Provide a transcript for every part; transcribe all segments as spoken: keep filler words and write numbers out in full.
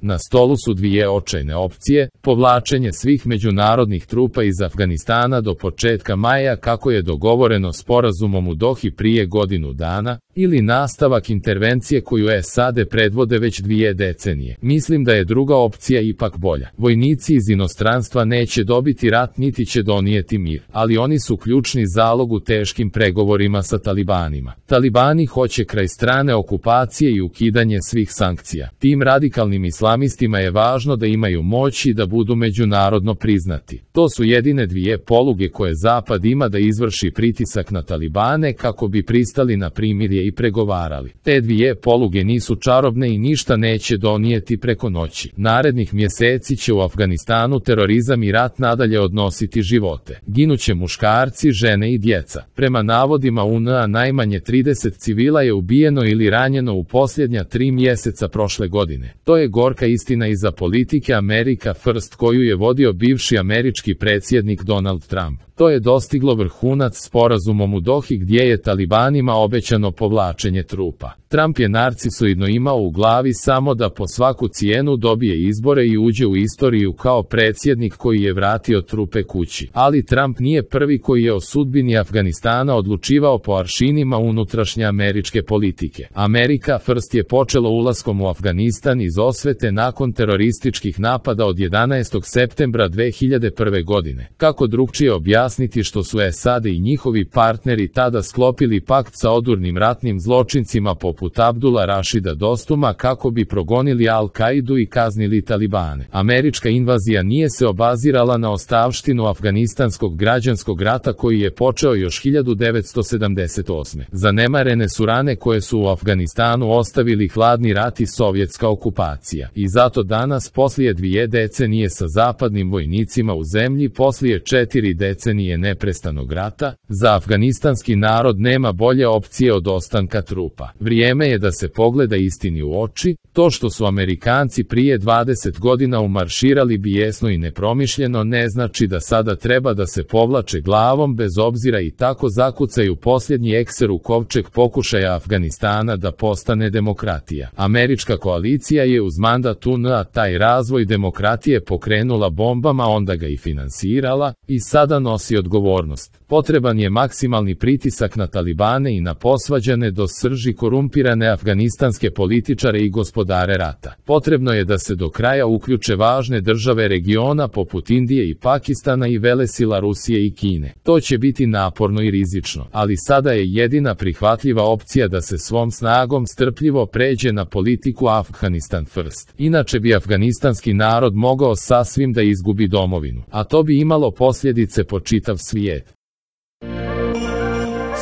Na stolu su dvije očajne opcije, povlačenje svih međunarodnih trupa iz Afganistana do početka maja kako je dogovoreno sporazumom u Dohi prije godinu dana, ili nastavak intervencije koju S A D predvode već dvije decenije. Mislim da je druga opcija ipak bolja. Vojnici iz inostranstva neće dobiti rat niti će donijeti mir, ali oni su ključni zalog u teškim pregovorima sa talibanima. Talibani hoće kraj strane okupacije i ukidanje svih sankcija. Tim radikalnim islamistima je važno da imaju moć i da budu međunarodno priznati. To su jedine dvije poluge koje Zapad ima da izvrši pritisak na talibane kako bi pristali na primirje i pregovarali. Te dvije poluge nisu čarobne i ništa neće donijeti preko noći. Narednih mjeseci će u Afganistanu terorizam i rat nadalje odnositi živote. Ginuće muškarci, žene i djeca. Prema navodima U N A najmanje trideset civila je ubijeno ili ranjeno u posljednja tri mjeseca prošle godine. To je gorka istina iza politike America First koju je vodio bivši američki predsjednik Donald Trump. To je dostiglo vrhunac sporazumom u Dohi gdje je talibanima obećano povlačenje trupa. Trump je narcisoidno imao u glavi samo da po svaku cijenu dobije izbore i uđe u istoriju kao predsjednik koji je vratio trupe kući. Ali Trump nije prvi koji je o sudbini Afganistana odlučivao po aršinima unutrašnje američke politike. America First je počelo ulaskom u Afganistan iz osvete nakon terorističkih napada od jedanaestog septembra dve hiljade prve. godine. Kako drukčije objasniti što su S A D i njihovi partneri tada sklopili pakt sa odurnim ratnim zločincima poput Abdula Rašida Dostuma kako bi progonili Al-Kaidu i kaznili talibane. Američka invazija nije se obazirala na ostavštinu afganistanskog građanskog rata koji je počeo još hiljadu devetsto sedamdeset osme. Zanemarene su rane koje su u Afganistanu ostavili hladni rat i sovjetska okupacija. I zato danas, poslije dvije decenije sa zapadnim vojnicima u zemlji, poslije četiri decenije neprestanog rata, za afganistanski narod nema bolje opcije od ostanka trupa. Vrijeme je da se pogleda istini u oči. To što su Amerikanci prije dvadeset godina umarširali bijesno i nepromišljeno ne znači da sada treba da se povlače glavom bez obzira i tako zakucaju posljednji ekser u kovčeg pokušaja Afganistana da postane demokratija. Američka koalicija je uz mandat U N A taj razvoj demokratije pokrenula bombama, onda ga i finansirala i sada nosi odgovornost. Potreban je maksimalni pritisak na talibane i na posvađane do srži korumpirane afganistanske političare i gospodare rata. Potrebno je da se do kraja uključe važne države regiona poput Indije i Pakistana i velesila Rusije i Kine. To će biti naporno i rizično, ali sada je jedina prihvatljiva opcija da se svom snagom strpljivo pređe na politiku Afganistan First. Inače bi afganistanski narod mogao sasvim da izgubi domovinu, a to bi imalo posljedice po čitav svijet.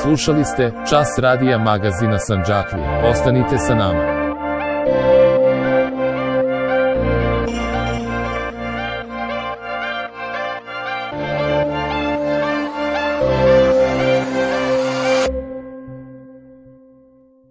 Slušali ste Čas radija magazina Sandžaklija. Ostanite sa nama.